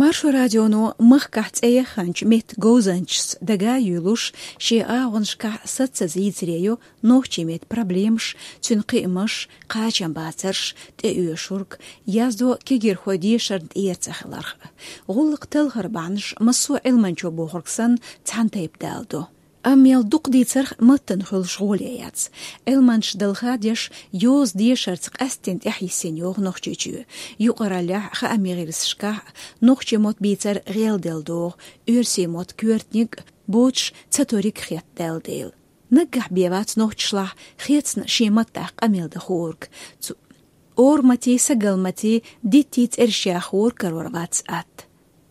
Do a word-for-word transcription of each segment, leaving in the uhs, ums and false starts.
Маршо радионо махкахь цӀе яханчу меттан говзанчашца дага а юьйлуш, шен агӀонашкахь сацаза йийцаре ю нохчийн меттан проблемаш, цуьнан кхиамаш, кхачамбацарш, тӀеоьшург, яздо кегийрхой дешарна тӀера ца хиларх. ГӀуллакх талхар бахьанаш массо а Ӏилманчо бохург санна цхьана тайпа даладо. Амма мел дукха дийцарх маттана хуьлуш гӀоле яц. Ӏилманчаш далха а деш, йоза дешарца къаьсттина тӀаьхьа йисина йогӀу Нохчийчоь. Юкъараллехь, хаамийн гӀирсашкахь, нохчийн мотт бийцар гӀелделла догӀу, оьрсийн мотт коьртаниг а, боцуш ца ториг а хетта даьлла дела. Наггахь бен вац нохчашлахь хецна шен маттахь къамел дан хӀорг. Цу-, ораматий, сагалматий, диттий цӀераш яха хӀорг карор вац атта.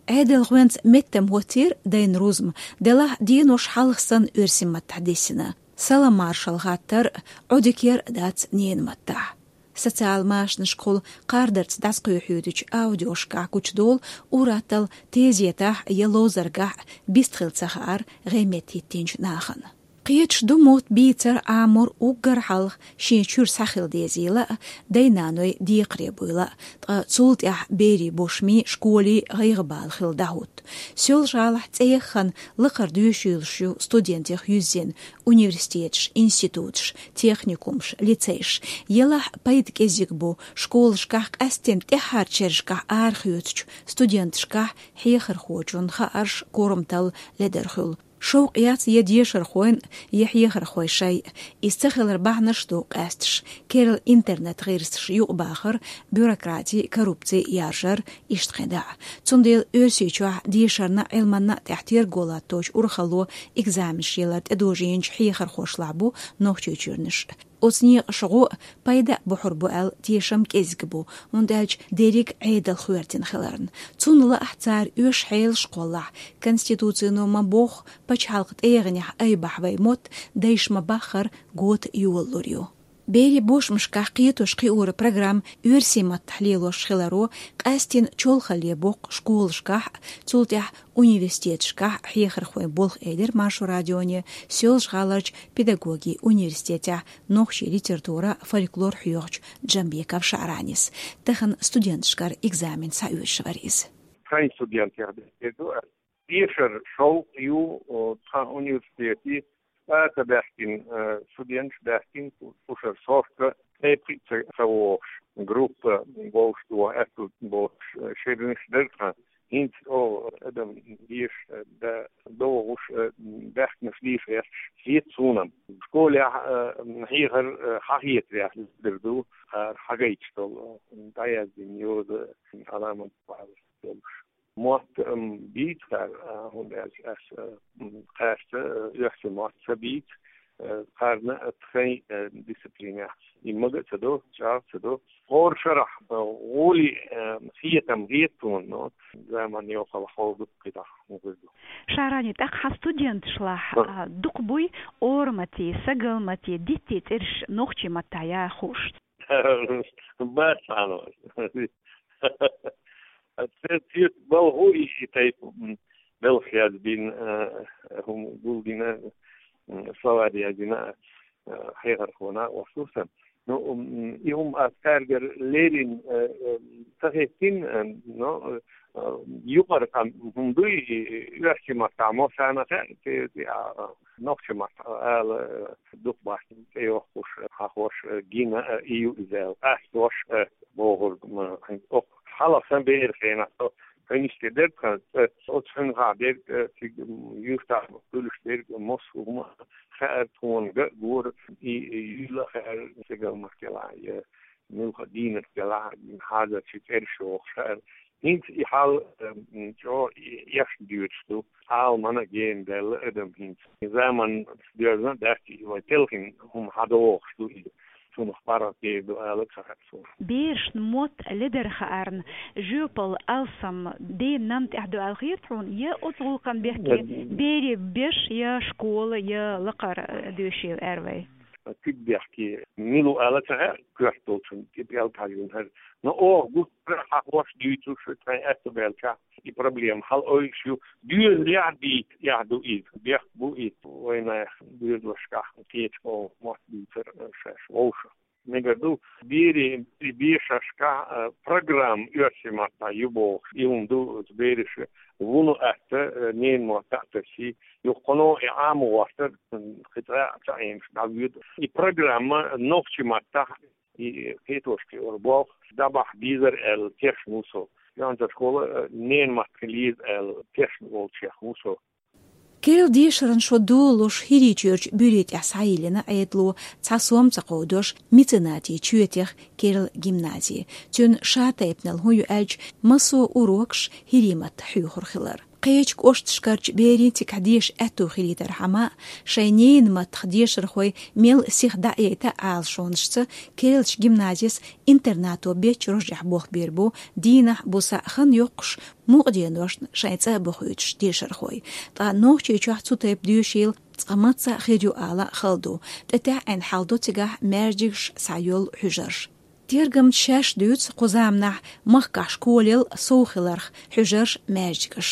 Ӏедалхойнца меттан хӀоттийра дайн рузма, делахь денош хьалха санна оьрсийн маттахь диссина. Салам-маршалла хаттар а, Ӏодика яр а дац ненан маттахь. Социал машанашкахула кхардарца дӀасакхоьхьуьйтучу аудиошкахь гучудолу ур-атталла тезетахь я ловзаргахь бистхила ца хаар гӀеметтахӀиттинчу нахана. Кхеташ ду мотт бийцар, Ӏамор уггар хьалха шен чуьра схьахила дезийла а, дай-наной декхаре буйла а, ткъа цул тӀаьхьа берийн бошмий, школий гӀайгӀа-бала хила дӀахӀутту. Соьлжа-ГӀалахь цӀе яххана лакхара доьшуш ю студентех юьззина университеташ, институташ, техникумаш, лицейш. Елахь пайда кӀезиг бу школашкахь, къаьсттина тӀаьххьарчу шерашкахь арахоьцучу студенташкахь хьехархочун хаарш, корматалла ледара хуьлу. Шовкъ яц я дешархойн, я хьехархойн шайн. Иза ца хилар бахьанаш ду къаьсташ: керла интернет-гӀирсаш юкъабахар, бюрократи, коррупци яржар, иштта кхин дӀа. Цундела Оьрсийчохь дешарна а, Ӏилманна а тӀехь терго латточу урхалло экзаменаш ялар тӀедожийначу хьехархошлахь бу Нохчийчуьрнаш. Оцу некъаша гӀо а, пайда а бохур бу аьлла тешам кӀезиг бу, хӀунда аьлча дерриг а Ӏедал хӀоьртина хиларна. Цунна лаахь цара оьшу хьелаш кхоллахь, Конституцино ма-бохху, пачхьалкхан тӀегӀанехь айбахь вай мотт, дайша ма-баххара, гота йолалур ю. Берийн бошмашкахь кхетош-кхиоран программа оьрсийн маттахь лелош хиларо къаьсттина чолхалле боккху школашкахь а, цул тӀаьхьа университеташкахь а хьехархойн болх, элира Маршо радионе Соьлжа-ГӀаларчу педагогин университетехь нохчийн литература, фольклор хьоьхучу Джамбеков ШаӀранис. Тахана студенташкара экзамен схьаоьцуш вара иза. Тхайн студентех дерг ду аьлла. Дешар шовкъ ю, о, тхан университете, цӀа ца баьхкина, э, студенташ баьхкина, шу-, шушара сорта, тайп-кхин а ца, ца вогӀуш, группа вовшах доху аьтту боцуш, э, шернаш дара тхан. ХӀинца, о, адам деша, э, да, догӀуш, э, баьхкинарш дийша гӀерташ хета суна-м. Школехь, э, хьехар, э, хьахетарехь дер ду, хӀара хьагайташ долу, дӀаяздина йоза, Ӏаламат бахьалаш долуш. Мотт, м, бийцар, а, хӀунда аьлча ас, а, м, кхаьчча, а, оьрсийн мотт ца бийца, а, кхарна, а, тхайн, а, дисциплинехь. И мага а ца до, чӀагӀ а ца до. ХӀора шарахь, а, гӀоли, а, хетам хета суна, но заман йоккхалла ховду кхидӀа, хӀун хир ду. ШаӀрани, тӀаккха хьан студенташлахь, а, дукха буй ораматий, сагалматий, диттий цӀераш нохчийн маттахь яха хууш? Бац, хьан вац. Аса цуьнца балхо и, и тайпа, м, белхаш яздина, а, хӀума гулдина, м, словарь яздина, а, хьехархо накъост ву сан. Ну, м, и хӀума аса цаьргара леррина, а, а, ца хеттина, а, но, а, юкъара къам хӀума дуй, и, и, оьрсийн маттахь мо санна хаьа, те, те, а, а, нохчийн маттахь ала, а, дукха бахьана тӀейохкуш, а, хьахош, а, гина, а, и ю иза аьлла, къастош, а, бохург ма, хьайн, окху хьалха сан беран хенахь со хьуьнаш тӀе дерг тхан, э, оцу хьуьнхахь дерг, э, цига, м, юьртахь хуьлуш дерг, массо а хӀума хаьара тхуна, ган а гора, и, и юьйла а хаьара, сагалмат делахь, я муьлха дийнат делахь, хьазарчий цӀераш йохуш хаьара. ХӀинца и хьал, э, м, чӀогӀа и, еш доьдуш ду. Ӏаламана а гена даьлла адам хӀинца. Заман доьзна а дац и, вайн телхина хӀума хьадогӀуш ду иза. Цунах паргӀат дер ду ала ца хаьа суна. Берашна мотт ледара хаарна, жоьпалла алсам, ден нам тӀехь ду аьлла хета хьуна, я оцу гӀуллакхна бехке, я берийн беш, я школа, я лакхара доьшийла аьр вай? Куьг бехке, мила ву ала ца хаьа, коьрта долчун тӀе пӀелг хьажийна хӀара. Но оха гуттара а хьахош, дуьйцуш, тхайн аьтто баьлчахь, и проблема хьала-ойуш ю. Доьзалехь а бийца эхь ду иза, бехк бу иза. Вайнах доьзалшкахь кхечу къомах мотт бийцар, э, шаьш вовшах. Мегар ду, берийн бешашка программа оьрсийн маттахь ю бохуш, и хӀума ду бераша вуно атта, ненан маттахь а тасий, юха кхано и Ӏамо гӀортар, кхин цкъа а ца Ӏемаш дӀавоьду. И программа нохчийн маттахь, и кхеташка ора болх дӀабахьа дезар аьлла тешна ву со. Юьхьанца школа ненан маттахь хила еза аьлла тешна волчех ву со. Керла дешаран шо долалуш ХӀирийчуьрчу буьрий тӀехь схьайиллина Ӏедало, цхьа сом ца кховдош, меценатийн чоь техна керла гимнази. Цуьнан шатайпанал хӀун ю аьлча, массо а урокаш хӀирийн маттахь хьоьхур хилар. Кхечу кӀошташкарчу берийн цигахь деша аьтто хилийтархьама а, шайн ненан маттахь дешархой мел сиха дӀа а яйта Ӏалашонашца, керлачу гимназис интернато беттачу рожехь болх бийр бу, дийнахь, буса а хан йоккхуш, мукъа деношна шайн цӀа а бохуьйтуш дешархой. Ткъа Нохчийчохь цу тайпа доьшийла цкъа мацца а хир ю ала хала ду. ТӀе таьӀӀина хьал ду цигахь маьждигаш схьайолу хьуьжарш. Тергамчаша шаьш дуьйцу кху заманахь махкахь школел сов хиларх хьуьжарш, маьждигаш.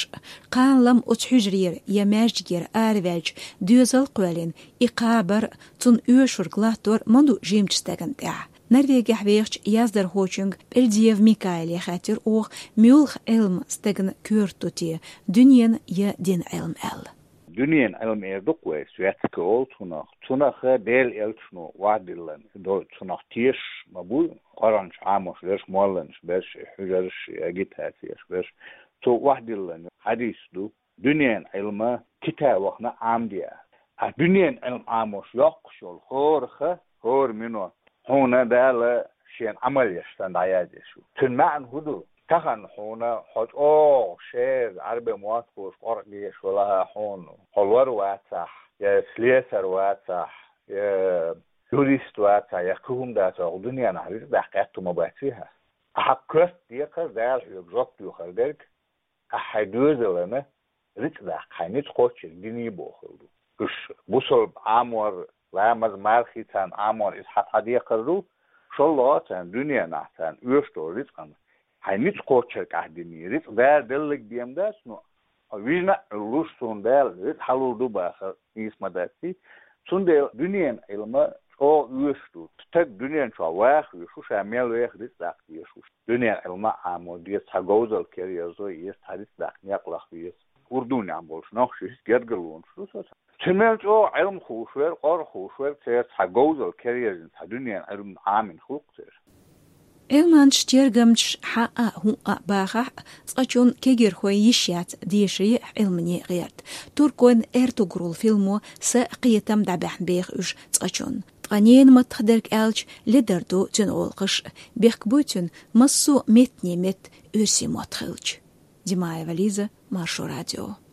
Кхана-лама оцу хьуьжарера я маьждигера араваьлча, доьзал кхоьллина, и кхабар, цунна оьшург латтор ма ду жимачу стагана тӀехь. Норвегехь вехачу яздархочуьнга Пельдиев Микаэле хаьттира оха, муьлха Ӏилма стагана коьрта ду те, дуьненан я динан Ӏилма аьлла. Дуьненан Ӏилма эр ду-кх вай, светский олу цунах. Цунах Делан элчано охьадиллина долу, цунах тешаш ма бу, Къуръанаш Ӏамош берш, молланаш берш, хьуьжарш, агитацеш берш. Цо охьадиллина хьадис ду. Дуьненан Ӏилма китабах Ӏамаде. Ткъа дуьненан Ӏилма Ӏамош йоккхуш йолу хӀорах, хӀора минот хьуна Дала шена Ӏамал еш санна дӀаяздеш ю. Цуьнан маьӀна хӀун ду? Тахана хьуна хьо чӀогӀа шера Ӏарбийн маттахь къоркъе еш велахь а хьуна, хьо лор вацахь, я слесарь вацахь, я юрист вацахь, я кхин хӀума дацахь, хӀокху дуьненахь рицкъ даккха аьтто ма бац хьан. Ахьа коьрта декхар, Дала хьоьга жоп доьхур дерг, ахьа хьайн доьзална рицкъ даккха хьайн ницкъ кхоччург дин ю бохург ду. Уьш бусалба Ӏамор, ламаз, мархий царна Ӏамор иза хьан цхьа декхар ду, шолгӀа царна дуьненахь царна оьшуш долу рицкъана хьайн ницкъ кхоччург ахь дин ю. Рицкъ Дала делларг ден дац, но вижна а Ӏуьллуш суна Дала рицкъ хьалур ду бахар нийса ма дац. Цундела дуьненан Ӏилма чӀогӀа оьшуш ду. Стаг дуьнен чохь ваха везаш ву, ша мел веха рицкъ даккха дезаш ву. Дуьненан Ӏилма а Ӏамо деза, цхьа говзалла кара ерзо еза, цхьа рицкъ даккха некъ лаха веза. Урдуне Ӏамболуш нохчий гергарлонаш ду соцу. Цу мел чӀогӀа Ӏилма хууш верг, къора хууш верг, церан цхьа говзалла кара ерзина, цхьа дуьненан Ӏилма Ӏамийна хуьлу-кх церан. Ӏилманчаш, тергамчаш хьан а, хӀун а бахахь а, цкъачунна кегийрхойн йиш яц дешаре а, Ӏилмане а гӀерта. Туркойн «Эртугрул» филмо са а, кхетам а дӀабаьхьна беха уьш цкъачунна. Ткъа ненан маттахь дерг аьлча, ледар ду цуьнан гӀуллакхаш а, бехк буй цуьнан массо а меттане метта оьрсийн мотт хилча. Димаева Лиза, Маршо радио.